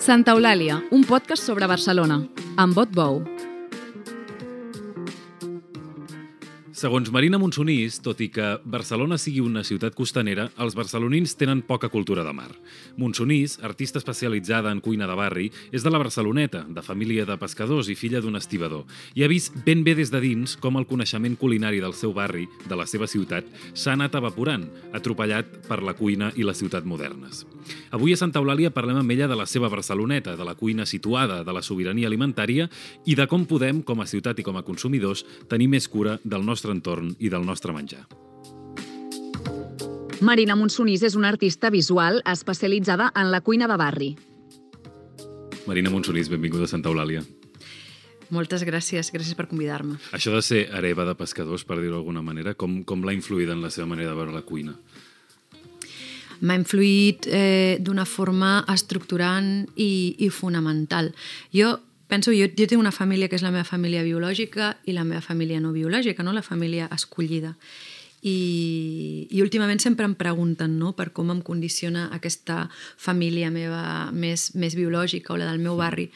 Santa Eulàlia, un podcast sobre Barcelona, amb Bot Bou. Segons Marina Monsonís, tot i que Barcelona sigui una ciutat costanera, els barcelonins tenen poca cultura de mar. Monsonís, artista especialitzada en cuina de barri, és de la Barceloneta, de família de pescadors i filla d'un estibador, i ha vist ben bé des de dins com el coneixement culinari del seu barri, de la seva ciutat, s'ha anat evaporant, atropellat per la cuina i la ciutat modernes. Avui a Santa Eulàlia parlem amb ella de la seva Barceloneta, de la cuina situada, de la sobirania alimentària i de com podem, com a ciutat i com a consumidors, tenir més cura del nostre entorn i del nostre menjar. Marina Monsonís és una artista visual especialitzada en la cuina de barri. Marina Monsonís, benvinguda a Santa Eulàlia. Moltes gràcies per convidar-me. Això de ser hereva de pescadors, per dir-ho d'alguna manera, com l'ha influït en la seva manera de veure la cuina? M'ha influït d'una forma estructurant i fonamental. Jo tinc una família que és la meva família biològica i la meva família no biològica, no? La família escollida. I últimament sempre em pregunten, no?, per com em condiciona aquesta família meva més biològica o la del meu barri.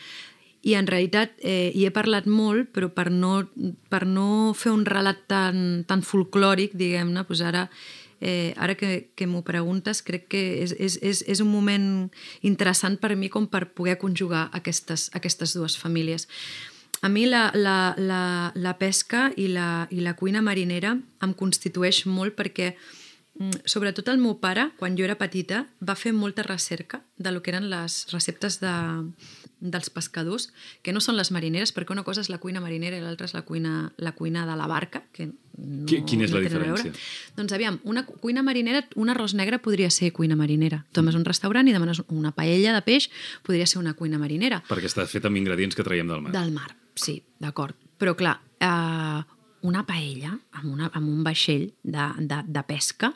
I en realitat hi he parlat molt, però per no fer un relat tan folclòric, diguem-ne, doncs ara que m'ho preguntes, crec que és un moment interessant per a mi com per poder conjugar aquestes dues famílies. A mi la pesca i la cuina marinera em constitueix molt perquè, sobretot el meu pare, quan jo era petita, va fer molta recerca de lo que eren les receptes dels pescadors, que no són les marineres, perquè una cosa és la cuina marinera i l'altra és la cuina de la barca, que Quina és la diferència? Doncs aviam, una cuina marinera, un arròs negre podria ser cuina marinera. Tu vas a un restaurant i demanes una paella de peix, podria ser una cuina marinera. Perquè està fet amb ingredients que traiem del mar. Del mar, sí, d'acord. Però clar, una paella amb un vaixell de pesca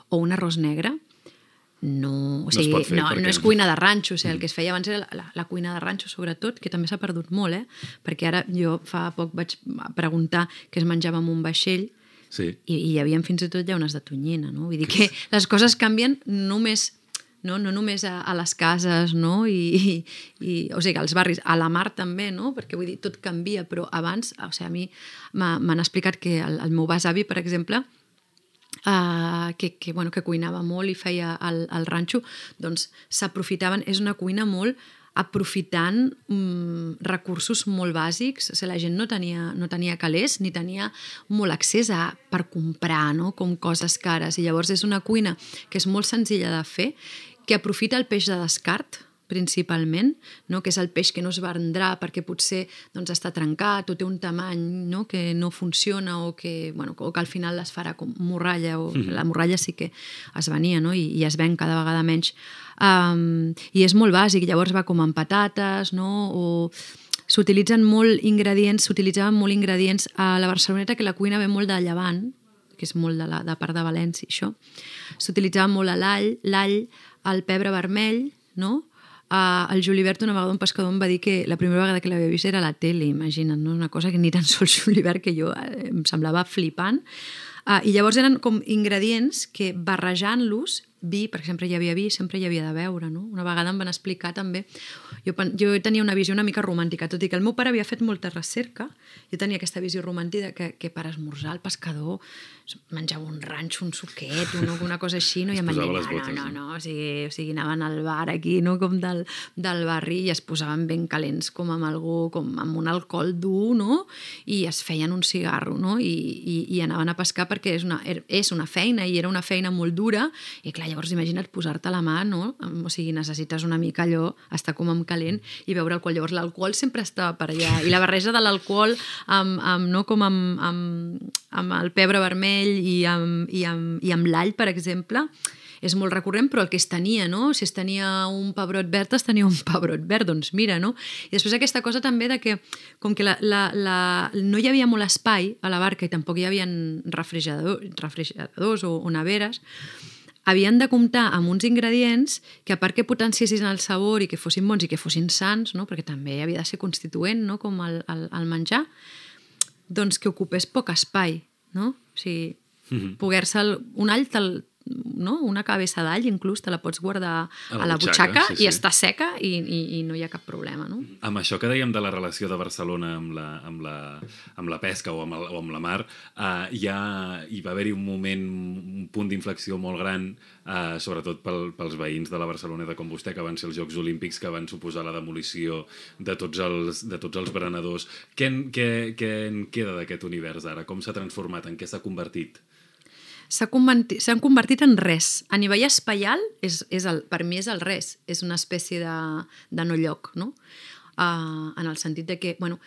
o un arròs negre no és cuina de ranxo. O sigui, el que es feia abans era la cuina de ranxo, sobretot, que també s'ha perdut molt, perquè ara jo fa poc vaig preguntar què es menjava amb un vaixell. Sí. I hi havia fins i tot llaunes de tonyina, no? Vull dir que les coses canvien no només a les cases, no? O sigui, als barris, a la mar també, no? Perquè vull dir, tot canvia, però abans, o sigui, a mi m'han explicat que el meu besavi, per exemple, que cuinava molt i feia el ranxo, doncs s'aprofitaven, és una cuina molt aprofitant recursos molt bàsics. O sigui, la gent no tenia calés ni tenia molt accés per comprar, no?, com coses cares, i llavors és una cuina que és molt senzilla de fer, que aprofita el peix de descart principalment, no?, que és el peix que no es vendrà perquè potser està trencat o té un tamany, no?, que no funciona o que al final es farà com morralla, o la morralla sí que es venia, no?, i es ven cada vegada menys. I és molt bàsic, llavors va com amb patates, no?, o s'utilitzaven molt ingredients a la Barceloneta, que la cuina ve molt de Llevant, que és molt de part de València, això. S'utilitzava molt l'all, el pebre vermell, no?, el Julibert, una vegada un pescador em va dir que la primera vegada que l'havia vist era a la tele, imagina't, no? Una cosa que ni tan sols Julibert, que jo em semblava flipant. I llavors eren com ingredients que, barrejant-los, vi, perquè sempre hi havia vi, sempre hi havia de beure, no? Una vegada em van explicar també, jo tenia una visió una mica romàntica, tot i que el meu pare havia fet molta recerca, jo tenia aquesta visió romàntica que per esmorzar el pescador menjava un ranxo, un suquet, una cosa així, no? I em van dir, no, o sigui, anaven al bar aquí, no?, com del barri, i es posaven ben calents com amb algú, com amb un alcohol dur, no?, i es feien un cigarro, no?, i anaven a pescar perquè és una feina, i era una feina molt dura, i clar, llavors imagina't posar-te a la mà, no?, o sigui, necessites una mica allò, estar com amb calent i beure alcohol. Llavors l'alcohol sempre estava per allà, i la barreja de l'alcohol amb el pebre vermell i amb l'all, per exemple, és molt recurrent, però el que es tenia, no? Si es tenia un pebrot verd, es tenia un pebrot verd, doncs mira, no? I després aquesta cosa també de que, com que no hi havia molt espai a la barca i tampoc hi havia refrigeradors o neveres, havien de comptar amb uns ingredients que, a part que potenciessin el sabor i que fossin bons i que fossin sans, no?, perquè també havia de ser constituent, no?, com el menjar, doncs que ocupés poc espai, no? O sigui, un all no? Una cabeça d'all, inclús te la pots guardar A a la la butxaca sí, sí. i està seca i no hi ha cap problema, no? Amb això que dèiem de la relació de Barcelona amb la pesca o amb la mar, hi va haver-hi un moment, un punt d'inflexió molt gran, sobretot pels veïns de la Barceloneta com vostè, que van ser els Jocs Olímpics, que van suposar la demolició de tots els berenadors. Què en queda d'aquest univers ara? Com s'ha transformat? En què s'ha convertit? S'han convertit en res. A nivell espaial, per mi és el res. És una espècie de no lloc, no? En el sentit de que, bueno,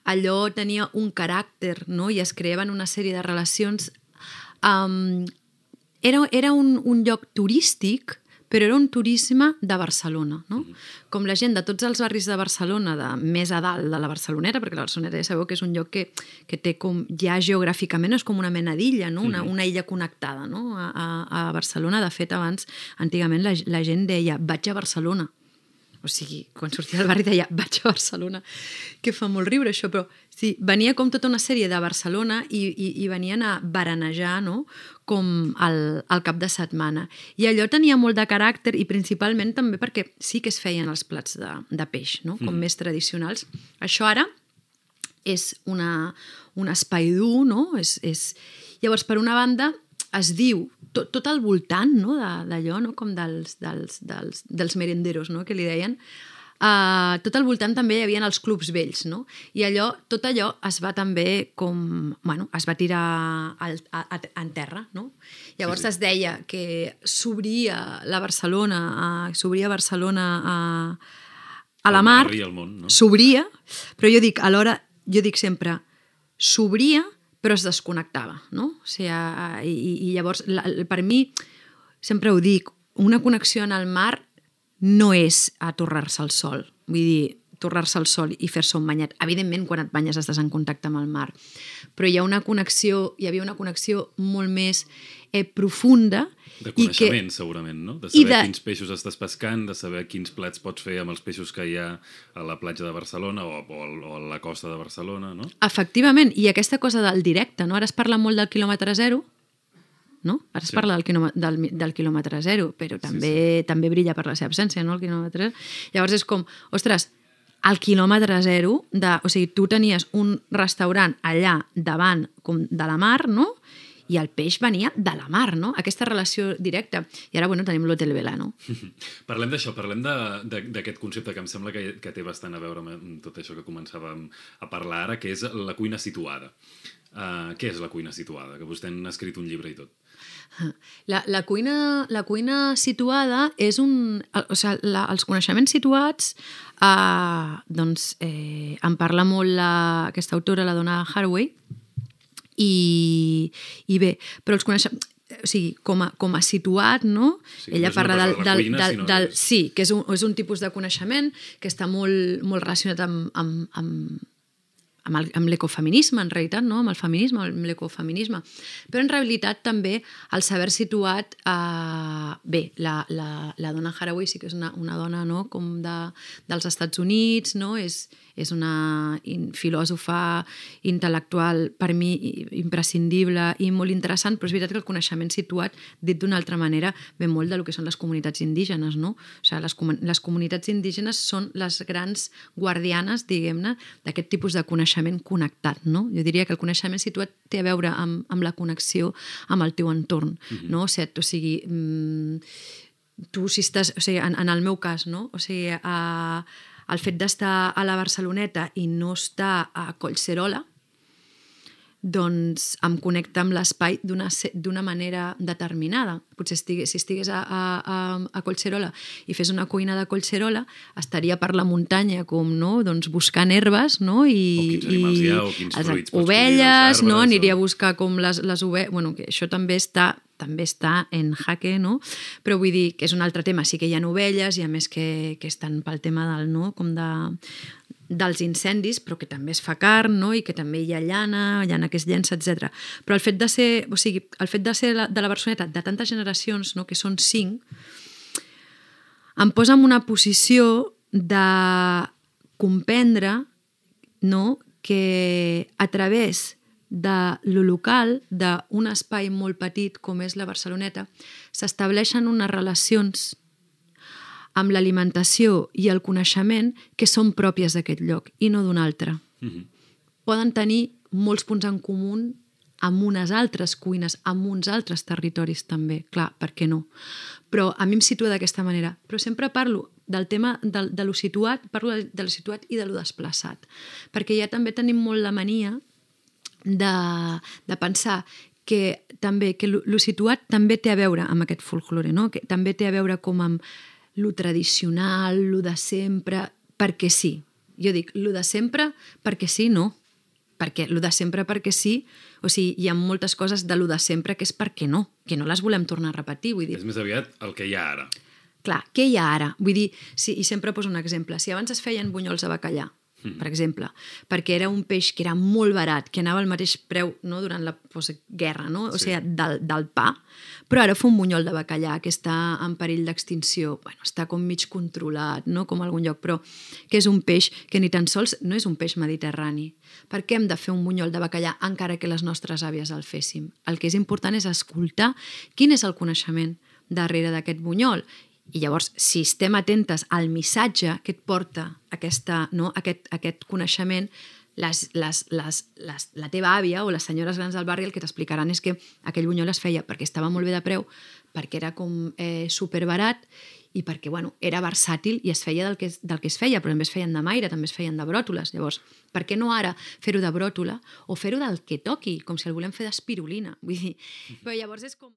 allò tenia un caràcter, no? I es creaven una sèrie de relacions. Era un lloc turístic, però era un turisme de Barcelona, no? Com la gent de tots els barris de Barcelona, més a dalt de la Barceloneta, perquè la Barceloneta ja sabeu que és un lloc que té com, ja geogràficament és com una mena d'illa, no? Una illa connectada, no? A Barcelona. De fet, abans, antigament, la gent deia vaig a Barcelona. O sigui, quan sortia del barri deia vaig a Barcelona, que fa molt riure això, però sí, venia com tota una sèrie de Barcelona i venien a baranejar, no?, com al cap de setmana. I allò tenia molt de caràcter i principalment també perquè sí que es feien els plats de peix, no?, com més tradicionals. Això ara és un espai dur, no? Llavors, per una banda, es diu tot al voltant, no?, d'allò, no?, com dels merenderos, no?, que li deien, tot al voltant també hi havia els clubs vells, no? I tot allò es va també com, bueno, es va tirar en terra, no? Llavors es deia que s'obria Barcelona a la mar, i al món, no? s'obria, però jo dic sempre, s'obria però es desconnectava, no? O sigui, i llavors, per mi, sempre ho dic, una connexió en el mar no és a torrar-se al sol. Vull dir, torrar-se al sol i fer-se un banyat. Evidentment, quan et banyes estàs en contacte amb el mar. Però hi havia una connexió molt més profunda. De coneixement, segurament, no? De saber quins peixos estàs pescant, de saber quins plats pots fer amb els peixos que hi ha a la platja de Barcelona o a la costa de Barcelona, no? Efectivament, i aquesta cosa del directe, no? Ara es parla molt del quilòmetre zero, no? Ara es parla del quilòmetre zero, però també brilla per la seva absència, no? El quilòmetre zero. Llavors és com, ostres, al quilòmetre zero, o sigui, tu tenies un restaurant allà davant de la mar, no?, i el peix venia de la mar, no? Aquesta relació directa. I ara, bueno, tenim l'Hotel Vela, no? Parlem d'això, parlem d'aquest concepte que em sembla que té bastant a veure amb tot això que començàvem a parlar ara, que és la cuina situada. Què és la cuina situada? Que vostè n'ha escrit un llibre i tot. La cuina situada és o sigui, els coneixements situats, doncs, en parla molt aquesta autora, la Donna Haraway, i bé, però els coneixements, o sigui, com a situat, no? Sí, Ella parla del... Sí, que és un tipus de coneixement que està molt relacionat amb l'ecofeminisme, en realitat, no? Amb el feminisme, amb l'ecofeminisme. Però en realitat també el saber situat... Bé, la Donna Haraway sí que és una dona, no?, com dels Estats Units, no? És una filòsofa intel·lectual, per mi, imprescindible i molt interessant, però és veritat que el coneixement situat, dit d'una altra manera, ve molt del que són les comunitats indígenes, no? O sigui, les comunitats indígenes són les grans guardianes, diguem-ne, d'aquest tipus de coneixement connectat, no? Jo diria que el coneixement situat té a veure amb la connexió amb el teu entorn, no? O sigui, tu si estàs... O sigui, en el meu cas, no? O sigui, el fet d'estar a la Barceloneta i no estar a Collserola, doncs em connecta amb l'espai d'una manera determinada. Potser si estigués a Collserola i fes una cuina de Collserola, estaria per la muntanya com, no?, doncs buscant herbes, no? O quins animals hi ha, o quins fruits pots ovelles, no? Aniria a buscar com les ovelles... Bueno, que això també està en jaque, no? Però vull dir que és un altre tema. Sí que hi ha ovelles i a més que estan pel tema del, no?, com dels incendis, però que també es fa carn, no?, i que també hi ha llana que es llença, etc. Però el fet de ser, o sigui, el fet de ser de la Barceloneta de tantes generacions, no?, que són 5, em posa en una posició de comprendre, no?, que a través de lo local, d'un espai molt petit com és la Barceloneta, s'estableixen unes relacions amb l'alimentació i el coneixement que són pròpies d'aquest lloc i no d'un altre. Poden tenir molts punts en comú amb unes altres cuines, amb uns altres territoris també, clar, per què no? Però a mi em situa d'aquesta manera. Però sempre parlo del tema de lo situat, parlo de lo situat i de lo desplaçat, perquè ja també tenim molt la mania de pensar que lo situat també té a veure amb aquest folklore, no? Que també té a veure com amb lo tradicional, lo de sempre, perquè sí. Jo dic, lo de sempre perquè sí, no. Perquè lo de sempre perquè sí, o sigui, hi ha moltes coses de lo de sempre que és perquè no, que no les volem tornar a repetir. Vull dir, és més aviat el que hi ha ara. Clar, què hi ha ara? Vull dir, i sempre poso un exemple. Si abans es feien bunyols de bacallà, per exemple, perquè era un peix que era molt barat, que anava al mateix preu, no, durant la postguerra, no? O sigui, del pa, però ara fa un bunyol de bacallà que està en perill d'extinció, bueno, està com mig controlat, no? Com a algun lloc, però que és un peix que ni tan sols no és un peix mediterrani. Per què hem de fer un bunyol de bacallà encara que les nostres àvies el féssim? El que és important és escoltar quin és el coneixement darrere d'aquest bunyol. I llavors, si estem atentes al missatge que et porta aquest coneixement, la teva àvia o les senyores grans del barri el que t'explicaran és que aquell bunyol es feia perquè estava molt bé de preu, perquè era com superbarat i perquè era versàtil i es feia del que es feia, però també es feien de maire, també es feien de bròtoles. Llavors, per què no ara fer-ho de bròtola o fer-ho del que toqui, com si el volem fer d'espirulina? Vull dir, però llavors és com